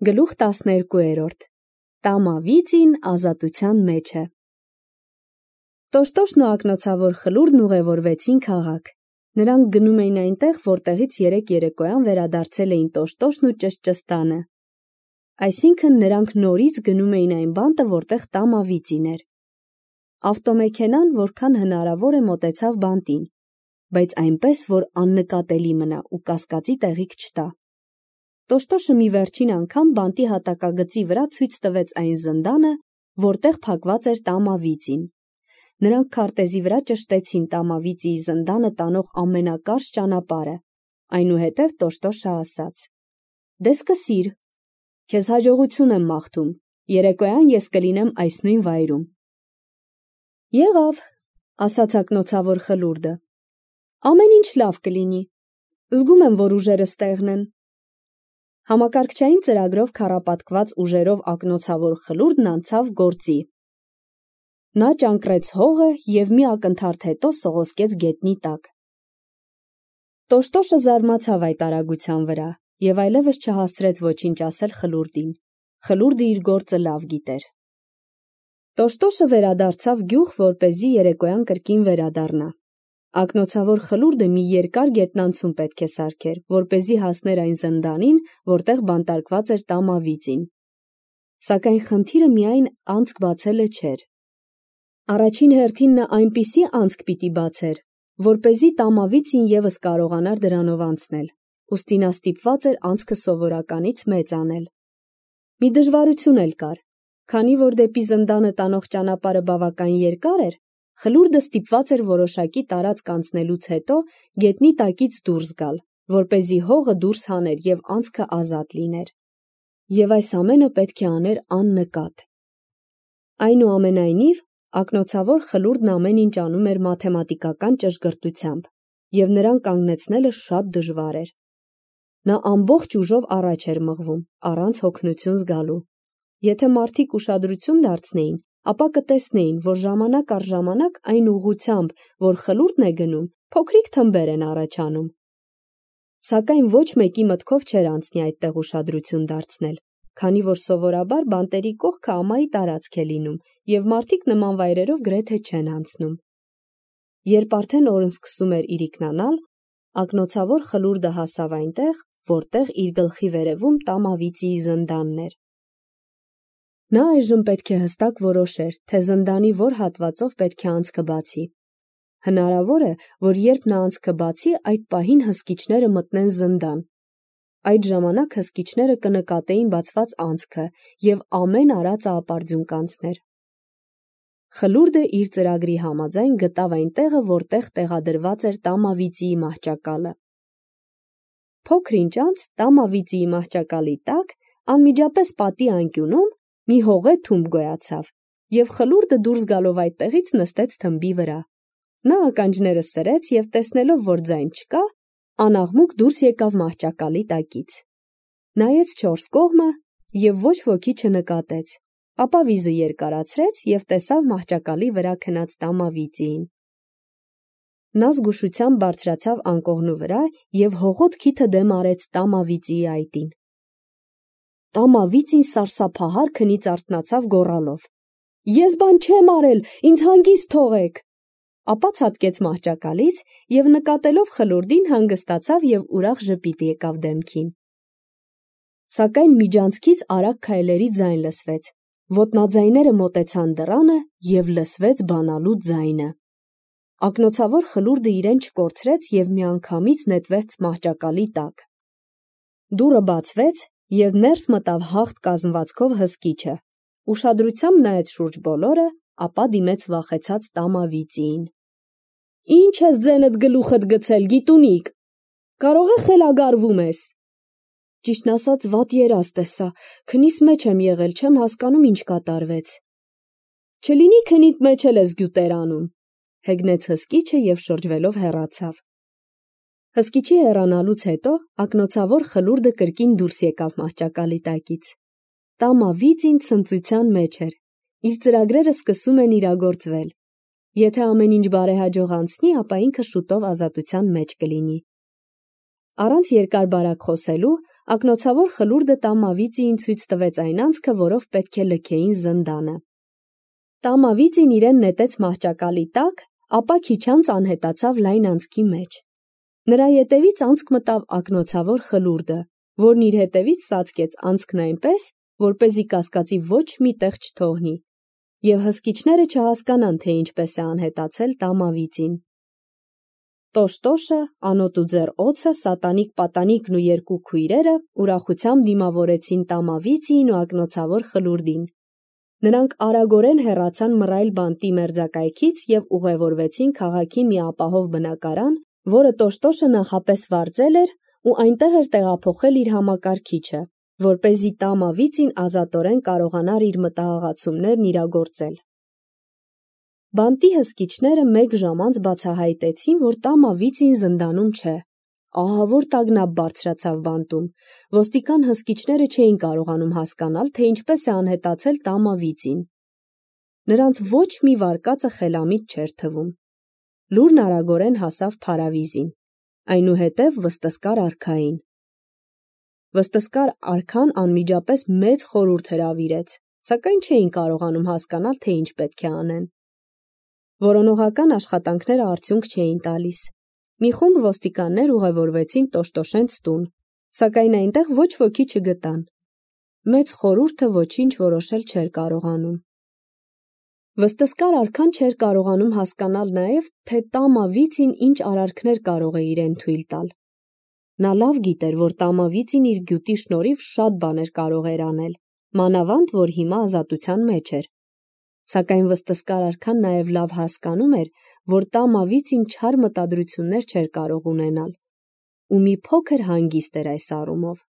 Գլուխ 12 Տամավիծին ազատության մեջ է։ Տոշտոշն ու ակնոցավոր Խլուրդն ուղևորվեցին քաղաք։ Նրանք գնում էին այնտեղ, որտեղից երեկ երեկոյան վերադարձել էին Տոշտոշն ու Ճշճստանը։ Այսինքն նրանք նորից գնում էին այն բանտը, որտեղ Տամավիծին էր։ Ավտոմեքենան որքան հնարավոր է մոտեցավ բանտին, բայց այնպես, որ աննկատելի մնա ու կասկածի տեղիք չտա։ Տոշտոշը մի վերջին անգամ բանտի հատակագծի վրա ցույց տվեց այն զնդանը, որտեղ փակված էր Տամավիծին։ Նրանք քարտեզի վրա ճշտեցին Տամավիծիի զնդանը տանող ամենակարճ ճանապարհը։ Այնուհետև Տոշտոշը ասաց. «Դե սկսիր, քեզ հաջողություն եմ մաղթում, երեկոյան ես կլինեմ այս նույն վայրում»։ «Եղավ», ասաց ակնոցավոր Խլուրդը, «ամեն ինչ լավ կլինի, զգում եմ, որ ուժերս տեղն են»։ Համակարգչային ծրագրով քառապատկված ուժերով ակնոցավոր Խլուրդն անցավ գործի։ Նա ճանկռեց հողը և մի ակնթարթ հետո սողոսկեց գետնի տակ։ Տոշտոշը զարմացավ այդ արագության վրա և այլևս չհասցրեց ոչինչ ասել Խլուրդին։ Խլուրդը իր գործը լավ գիտեր։ Տոշտոշը վերադարձավ գյուղ, որպեսզի երեկոյան կրկին վերադառնա։ Ակնոցավոր Խլուրդը մի երկար գետնանցում պետք է սարքեր, որպեսզի հասներ այն զնդանին, որտեղ բանտարկված էր Տամավիծին։ Սակայն խնդիրը միայն անցք բացելը չէր։ Առաջին հերթին նա այնպիսի անցք պիտի բացեր, որպեսզի Տամավիծին ևս կարողանար դրանով անցնել, ուստի նա ստիպված էր անցքը սովորականից մեծ անել։ Մի դժվարություն էլ կար, քանի որ դեպի զնդանը տանող ճանապարհը բավական երկար էր, Խլուրդը ստիպված էր որոշակի տարածք անցնելուց հետո գետնի տակից դուրս գալ, որպեսզի հողը դուրս հաներ և անցքը ազատ լիներ։ Եվ այս ամենը պետք է աներ աննկատ։ Այնուամենայնիվ, ակնոցավոր Խլուրդն ամեն ինչ անում էր մաթեմատիկական ճշգրտությամբ, և նրան կանգնեցնելը շատ դժվար էր։ Նա ամբողջ ուժով առաջ էր մղվում, առանց հոգնություն զգալու։ Եթե մարդիկ ուշադրություն դարձնեին, ապա կտեսնեին, որ ժամանակ առ ժամանակ այն ուղղությամբ, որ Խլուրդն է գնում, փոքրիկ թմբեր են առաջանում։ Սակայն ոչ մեկի մտքով չէր անցնի այդտեղ ուշադրություն դարձնել, քանի որ սովորաբար բանտերի կողքը ամայի տարածք է լինում, և մարդիկ նման վայրերով գրեթե չեն անցնում։ Երբ արդեն օրն սկսում էր իրիկնանալ, ակնոցավոր Խլուրդը հասավ այնտեղ, որտեղ իր գլխի վերևում Տամավիծիի զնդանն էր։ Նա այժմ պետք է հստակ որոշեր, թե զնդանի որ հատվածով պետք է անցքը բացի։ Հնարավոր է, որ երբ նա անցքը բացի, այդ պահին հսկիչները մտնեն զնդան։ Այդ ժամանակ հսկիչները կնկատեին բացված անցքը և ամեն արածը ապարդյուն կանցներ։ Խլուրդը իր ծրագրի համաձայն գտավ այն տեղը, որտեղ տեղադրված էր Տամավիծիի մահճակալը։ Փոքր ինչ անց Տամավիծիի մահճակալի տակ, անմիջապես պատի անկյունում, մի հողե թումբ գոյացավ, և Խլուրդը դուրս գալով այդտեղից նստեց թմբի վրա։ Նա ականջները սրեց և տեսնելով, որ ձայն չկա, անաղմուկ դուրս եկավ մահճակալի տակից։ Նայեց չորս կողմը և ոչ ոքի չնկատեց, ապա վիզը երկարացրեց և տեսավ մահճակալի վրա քնած Տամավիծիին։ Նա զգուշությամբ բարձրացավ անկողնու վրա և հողոտ քիթը դեմ արեց Տամավիծիի այտին։ Տամավիծին սարսափահար քնից արթնացավ գոռալով. «Ես բան չեմ արել, ինձ հանգիստ թողեք»։ Ապա ցատկեց մահճակալից և նկատելով Խլուրդին հանգստացավ և ուրախ ժպիտ եկավ դեմքին։ Սակայն միջանցքից արագ քայլերի ձայն լսվեց, ոտնաձայները մոտեցան դռանը և լսվեց բանալու ձայնը։ Ակնոցավոր Խլուրդը իրեն չկորցրեց և միանգամից նետվեց մահճակալի տակ։ Դուռը բացվեց և ներս մտավ հաղթ կազմվածքով հսկիչը, ուշադրությամբ նայեց շուրջ բոլորը, ապա դիմեց վախեցած Տամավիծիին։ «Ի՞նչ ես ձենդ գլուխդ գցել, գիտունիկ, կարող է խելագարվում ես»։ «Ճիշտն ասած, վատ երազ տեսա, քնիս մեջ եմ եղել, չեմ հասկանում ինչ կատարվեց»։ «Չլինի քնիդ մեջ էլ ես գյուտեր անում», հեգնեց հսկիչը և շրջվելով հեռացավ։ Հսկիչի հեռանալուց հետո ակնոցավոր Խլուրդը կրկին դուրս եկավ մահճակալի տակից։ Տամավիծին ցնծության մեջ էր։ Իր ծրագրերը սկսում են իրագործվել։ Եթե ամեն ինչ բարեհաջող անցնի, ապա ինքը շուտով ազատության մեջ կլինի։ Առանց երկար-բարակ խոսելու, Ակնոցավոր խլուրդը Տամավիծիին ցույց տվեց այն անցքը, որով պետք է լքեին զնդանը։ Տամավիծին իրեն նետեց մահճակալի տակ, ապա քիչ անց անհետացավ լայն անցքի մեջ։ Նրա ետևից անցք մտավ ակնոցավոր խլուրդը, որն իր հետևից ծածկեց անցքն այնպես, որպեսզի կասկածի ոչ մի տեղ չթողնի, և հսկիչները չհասկանան, թե ինչպես է անհետացել Տամավիծին։ Տոշտոշը, անոտ ու ձեռ օձը, Սատանիկ Պատանիկն ու երկու քույրերը ուրախությամբ դիմավորեցին Տամավիծիին ու ակնոցավոր խլուրդին։ Նրանք արագորեն հեռացան մռայլ բանտի մերձակայքից և ուղևորվեցին քաղաքի մի ապահով բնակարան, որը Տոշտոշը նախապես վարձել էր ու այնտեղ էր տեղափոխել իր համակարգիչը, որպեսզի Տամավիծին ազատորեն կարողանար իր մտահղացումներն իրագործել։ Բանտի հսկիչները մեկ ժամ անց բացահայտեցին, որ Տամավիծին զնդանում չէ։ Ահավոր տագնապ բարձրացավ բանտում։ Ոստիկան հսկիչները չէին կարողանում հասկանալ, թե ինչպես է անհետացել Տամավիծին։ Նրանց ոչ մի վարկածը խելամիտ չէր թվում։ Լուրն արագորեն հասավ Փարավիզին, այնուհետև վստսկար արքային։ Վստսկար արքան անմիջապես մեծ խորհուրդ հրավիրեց, սակայն չէին կարողանում հասկանալ, թե ինչ պետք է անեն։ Որոնողական աշխատանքները արդյունք չէին տալիս։ Մի խումբ ոստիկաններ ուղևորվեցին Տոշտոշենց տուն, սակայն այնտեղ ոչ ոքի չգտան։ Մեծ խորհուրդը ոչինչ որոշել չէր կարողանում։ Վստսկար արքան չէր կարողանում հասկանալ նաև, թե Տամավիծին ինչ արարքներ կարող է իրեն թույլ տալ։ Նա լավ գիտեր, որ Տամավիծին իր գյուտի շնորհիվ շատ բաներ կարող էր անել, մանավանդ, որ հիմա ազատության մեջ էր։ Սակայն վստսկար արքան նաև լավ հասկանում էր, որ Տամավիծին չար մտադրություններ չէր կարող ունենալ, ու մի փոքր հանգիստ էր այս առումով։